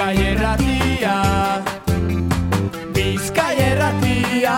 Bizkaia Irratia, Bizkaia Irratia.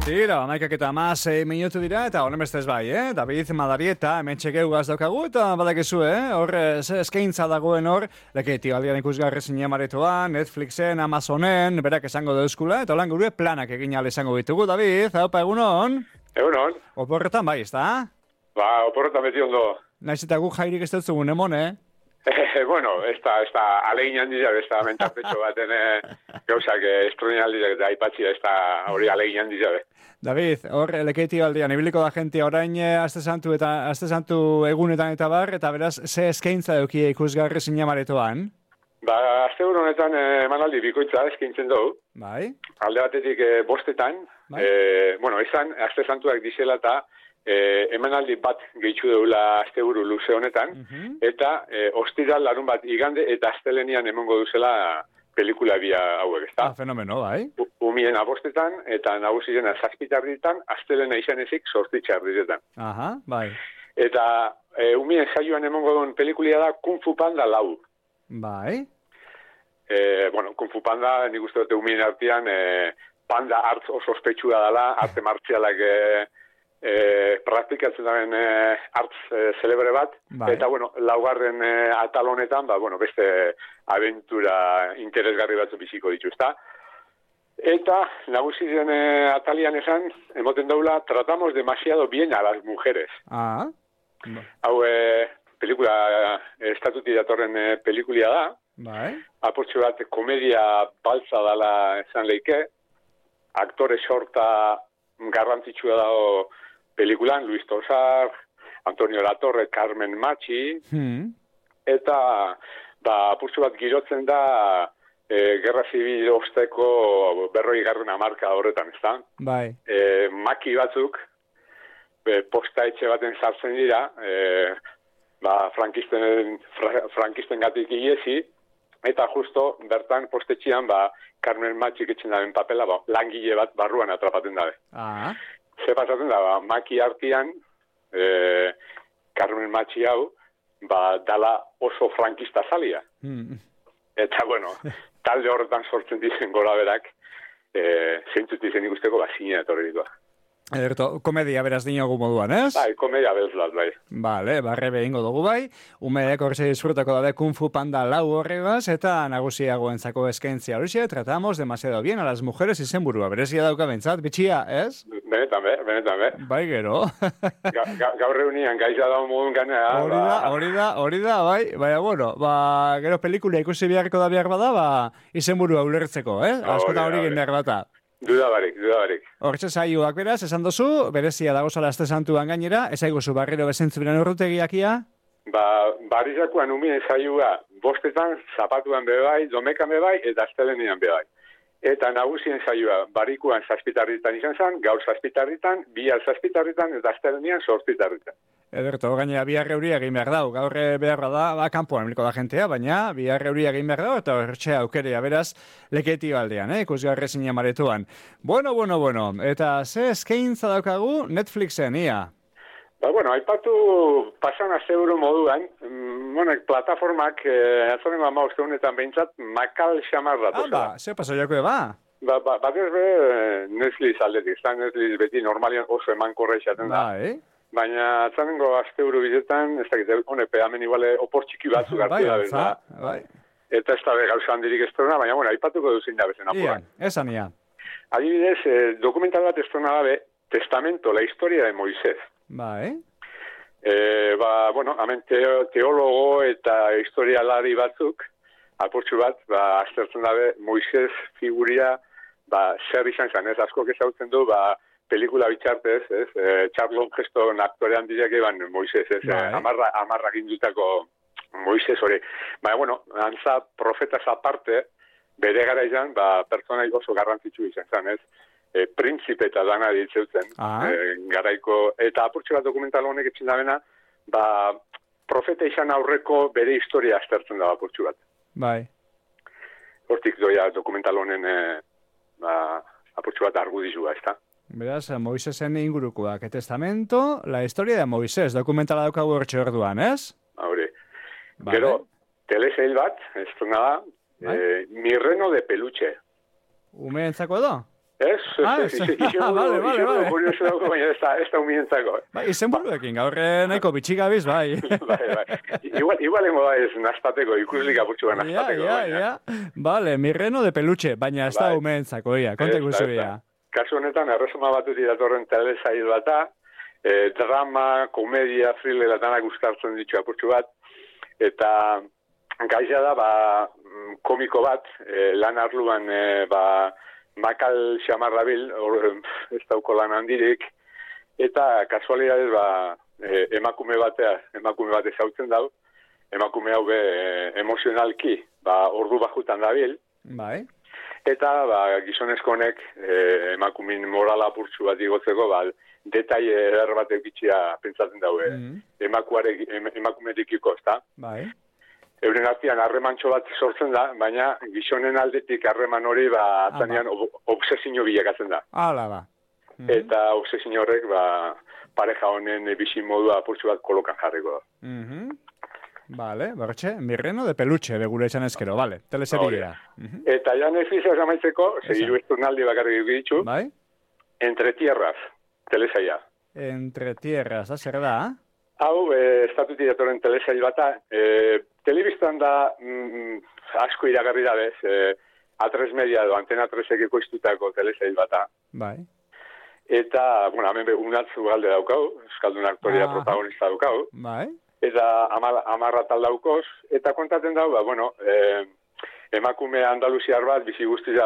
Tira, 11:16 minutu dira, eta honen bestez bai, David Madarieta, hemen txekeugaz daukagu, eta badakizu, hor, eskaintza dagoen hor, leketi aldian ikusgarri zinemaretoan, Netflixen, Amazonen, berak esango dauzkula, eta holan gure planak egin ala esango ditugu, David, haupa, egunon? Egunon. Oporretan bai, ezta? Ba, oporretan beti ondo. Naiz eta gu jairik ez dut zugun, emon, Bueno, ez da alegin handia, ez da mentartetxo baten gauzak estronin handia eta aipatzia, ez da hori alegin handia. David, hor, leketi aldean, ibiliko da gente orain aste santu egunetan eta bar, eta beraz, ze eskaintza duki ikusgarri zinemaretoan? Ba, aste honetan emanaldi bikoitza eskaintzen dugu. Bai. Alde batetik bostetan, bai. Izan, aste santuak dizela eta emanaldi bat gehitzu deula asteburu luze honetan, eta ostiral larun bat igande eta astelenian emongo duzela pelikula bia hauek, ezta? Fenomeno, bai. Umien abostetan eta nagusien azazpitarritan, astelena izan ezik sortitxarritan. Aha, bai. Eta umien saioan emongo duen pelikulia da Kung Fu Panda 4. Bai. Kung Fu Panda, nik uste dute umien artean, panda hartz oso ospetsua dela, arte martzialak praktikatzen daren hartz celebre bat, bai. Eta, laugarren atal honetan, beste aventura interesgarri batzu biziko dituzta. Eta, nagusien atalian esan, emoten daula, tratamos demasiado bien a las mujeres. Ah. Hau, pelikula, estatuti datorren pelikulia da. Bai. Apurtxo bat, komedia baltza dala esan leike, aktore sorta garrantzitsua dago pelikulan, Luis Tosar, Antonio Latorre, Carmen Machi, eta apurtxo bat girotzen da Gerra Zibil osteko 40. hamarka horretan, ezta? Bai. Maki batzuk, posta etxe baten sartzen dira, frankisten gatik iesi, eta justo bertan postetxian Carmen Matxik etxen daben papela, langile bat barruan atrapaten dabe. Ah. Ze pasatzen da, maki artian, Carmen Matxi hau, dala oso frankista zalia. Eta, talde horretan sortzen dizen gora berak, zeintzut dizen ikusteko, zine etorri ditua. Ederto, komedia beraz dinogu moduan, ez? Bai, komedia bezlat, bai. Bale, barrebe ingo dugu bai. Umeek horreze disfrutako dabe Kung Fu Panda 4 horregaz, eta nagusiagoentzako eskaintzia horixe, tratamos demasiado bien a las mujeres izenburua. Berezia dauka bentsat, bitxia, ez? Benetan be. Bai, gero. Gaur reunian, gaiza da modun ganea. Hori da, bai. Baina, gero pelikula ikusi beharko da behar bada, izenburua ulertzeko, ez? Askotan hori egin behar bata. Duda barik. Hortxe saioak beraz, esan dozu, berezia dagozala aste santuan gainera, ezaiguzu barriro bezentzu bilan urrutegiakia? Barrizakoan umien saioa bostetan, zapatuan bebai, domekan bebai, eta astelenean bebai. Eta nagusien saioa barikuan zazpitarritan izan zen, gaur zazpitarritan, bihar zazpitarritan, eta astelenean sortzitarritan. Ederto, gainera bihar euria egin behar dau. Gaur behar da, kanpoan emiliko da jentea, baina bihar euria egin behar dau, eta hortxe aukerea beraz leketi baldean, ikusgarri zinemaretoan. Bueno. Eta ze eskaintza daukagu Netflixen, ia? Aipatu pasan asteburu moduan, plataformak, atzaren ustegunetan behintzat, makal xamar datoz. Ze paso joko eba? Bat ez be, Netflix aldetik, Netflix beti normalian oso eman korra izaten da. Baina atzanengo asteburu bizetan, ez dakit, honepe, hemen iguale opor txiki batzu gartu da bezala. Bai. Eta ez da gauza handirik estrona, baina aipatuko duzin da bezen apuran. Esan ia. Adibidez, dokumental bat estrona dabe, Testamento, la historia de Moisés. Bai. Hemen teologo eta historialari batzuk, apurtxu bat, aztertzen dabe, Moisés figuria, zer izan zen, ez asko ezautzen du, pelikula bitxartez, Charlton Heston aktorean diak eban Moisés, amarrak indutako Moisés hori. Baina, antza profetaz aparte, bere gara izan, pertsona oso garrantzitsu izan zen, ez? Printzipe eta dana ditzeutzen, garaiko, eta apurtxe bat dokumental honek etxin dabena, profeta izan aurreko bere historia aztertzen da apurtxe bat. Bai. Hortik doia dokumental honen apurtxe bat argudizua, ez da? Beraz, Moisesen ingurukoak. Testamento, la historia de Moisés, dokumentala daukagu hortxe orduan, ez? Hori. Vale. Gero, telesail bat, ez da, Mi reno de peluche. Umeentzako edo? Ez, Vale. Kurioso dauko, baina ez da umeentzako. Bai, izen buruekin, gaur nahiko bitxigabiz, bai. Bai. Igual engo da ez nazpateko, ikuslik apurtxu bat nazpateko. Ja. Vale, mi reno de peluche, baina ez da umeentzako, kontek guzu, Kasu honetan, erresuma batutik datorren telesail bata, drama, komedia, thriller, danak guztartzen ditu apurtxu bat, eta gaia da, komiko bat, lan arluan, makal xamarra bil, ez dauko lan handirik, eta kasualidadez, emakume bat ezautzen dau, emakume hau emozionalki, ordu bajutan dabil, bai. Eta gizonezko honek emakumin morala apurtxu bat igotzeko, detaile eder bat egitxia pentsatzen daue emakumerikiko, ezta? Bai. Euren artean harremantxo bat sortzen da, baina gizonen aldetik harreman hori atzanean obsesio bilakatzen da. Hala ba. Eta obsesio horrek pareja honen bizi modua apurtxu bat kolokan jarriko da. Vale, bertxe, mi reno de peluche, begure esan ezkero, vale, teleseriera. Eta ja Netflix amaitzeko, segiru esturnaldi bakarrik ditu, bai? Entre tierras, telesaia. Entre tierras, zer da? Hau, estatutik datoren telesail bata, telebistan da asko iragarri da bez, A3 Media edo Antena 3 ekoiztutako telesail bata. Bai. Eta, hemen unatzu galde daukau, euskaldun aktoria protagonista daukau. Bai. Eta amarra tal daukoz, eta kontatzen dau, emakume andaluziar bat bizi guztia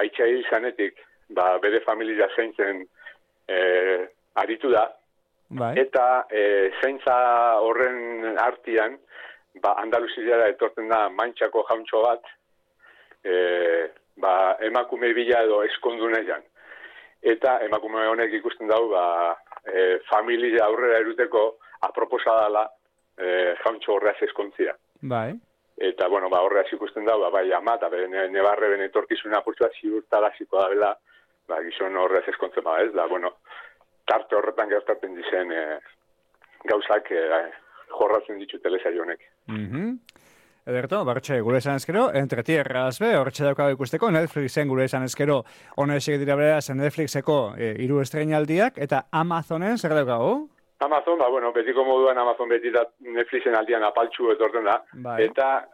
aitza hil zanetik, bere familia zeintzen aritu da, bai. Eta zeintza horren artian, Andaluziara etortzen da mantxako jauntxo bat, emakume bila edo eskondunean. Eta emakume honek ikusten dau, familia aurrera eruteko aproposa dela jauntxo horreaz eskontzia. Bai. Eta, horreaz ikusten da, ama, eta nebarre bene etorkizuna apurtua ziurtaraziko da bela, gizon horreaz eskontzen ez da, tarte horretan gertatzen dizen gauzak jorratzen ditu telesaio honek. Ederto, bertxe, gure esan ezkero, Entre tierras be, horretxe daukago ikusteko, Netflixen gure esan ezkero, honesek dira beraz Netflixeko 3 estreinaldiak, eta Amazonen zer daukago? Amazon, betiko moduan Amazon beti da Netflixen aldian apaltxu etorten da, bai. Eta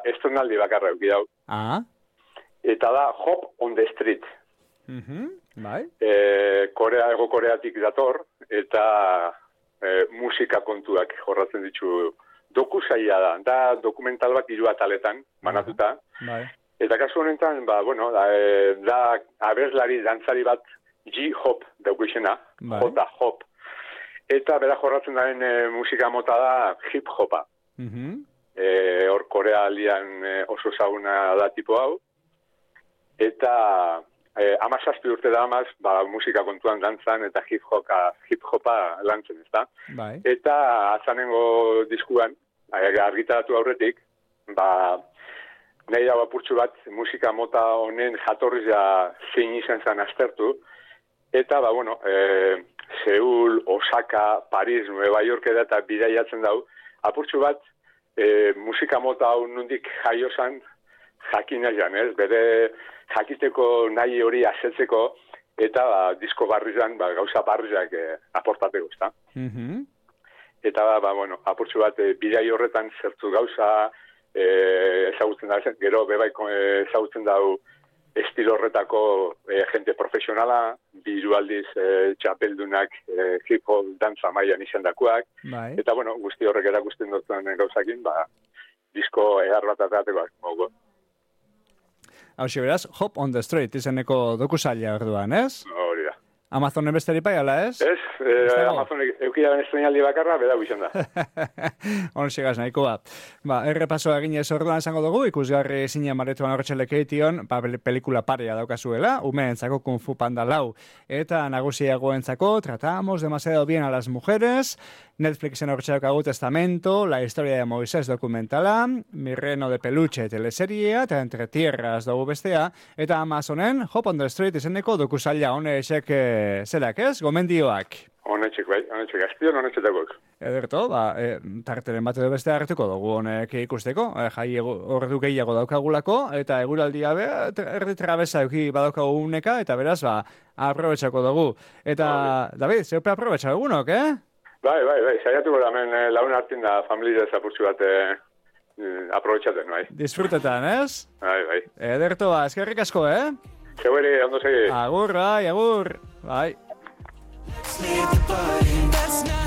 estrenaldi bakarra euki dau. Eta da Hop on the Street. Bai. Ego Koreatik dator, eta musika kontuak jorratzen ditu dokusaia da dokumental bat 3 ataletan, banatuta. Bai. Eta kasu honetan, da abeslari, dantzari bat J-Hop daukizena, bai. J-Hop. Eta bera jorratzen daren musika mota da hip-hopa. Hor Korea aldian oso zauna da tipo hau. Eta 17 urte da amaz, musika kontuan dantzan eta hip-hopa lantzen, ezta? Bai. Eta azanengo diskuan, argitaratu aurretik, nahi hau apurtxu bat musika mota honen jatorrizia zein izan zen aztertu. Eta, Seul, Osaka, Paris, Nueva York eta bidaiatzen dau, apurtxu bat musika mota hau nondik jaiozan jakina jan, ez? Bere jakiteko nahi hori asetzeko eta disko barrizan, gauza barrizak aportateko, ezta? Eta, apurtxu bat bidai horretan zertu gauza ezagutzen da, gero bebaiko ezagutzen dau estilo horretako jente profesionala, biru aldiz txapeldunak hip-hop dantza mailan izan dakuak. Bai. Eta, guzti horrek erakusten duten gauzakin, disko edar bat ateatekoak. Hau beraz, Hop on the Street izeneko dokusaila orduan, ez? Hori da. Amazonen besteri pai, ala ez? Ez, Amazonek eukidaren estrenaldi bakarra, beda guizan da. Hon sigaz nahikoa. Errepasoa egin ez orduan esango dugu, ikusgarri zinen maretoan horretxelek eition, pelikula parea daukazuela, umeentzako Kung Fu Panda 4, eta nagusiagoentzako Tratamos demasiado bien a las mujeres, Netflixen horretxe daukagu Testamento, La historia de Moisés dokumentala, Mi reno de peluche teleseriea, eta Entre tierras dugu bestea, eta Amazonen Hop on the Street izeneko dokusaila honesek zerak ez, gomendioak. Honetxek, azpion honetxetakok. Ederto, tarteren bat edo beste hartuko dugu honek ikusteko, jai ordu gehiago daukagulako, eta eguraldia erdi trabeza euki badaukagu uneka, eta beraz, aprobetxako dugu. Eta, David, zeupe aprobetxa dugunok, Bai, saiatu gara hemen laun hartin da familia zapurtzu bat aprobetxaten, bai. Disfrutetan, ez? Bai. Ederto, eskerrik asko, Zeberi, ondo segi. Agur, bai, agur. Bai. Let's leave the party. Let's not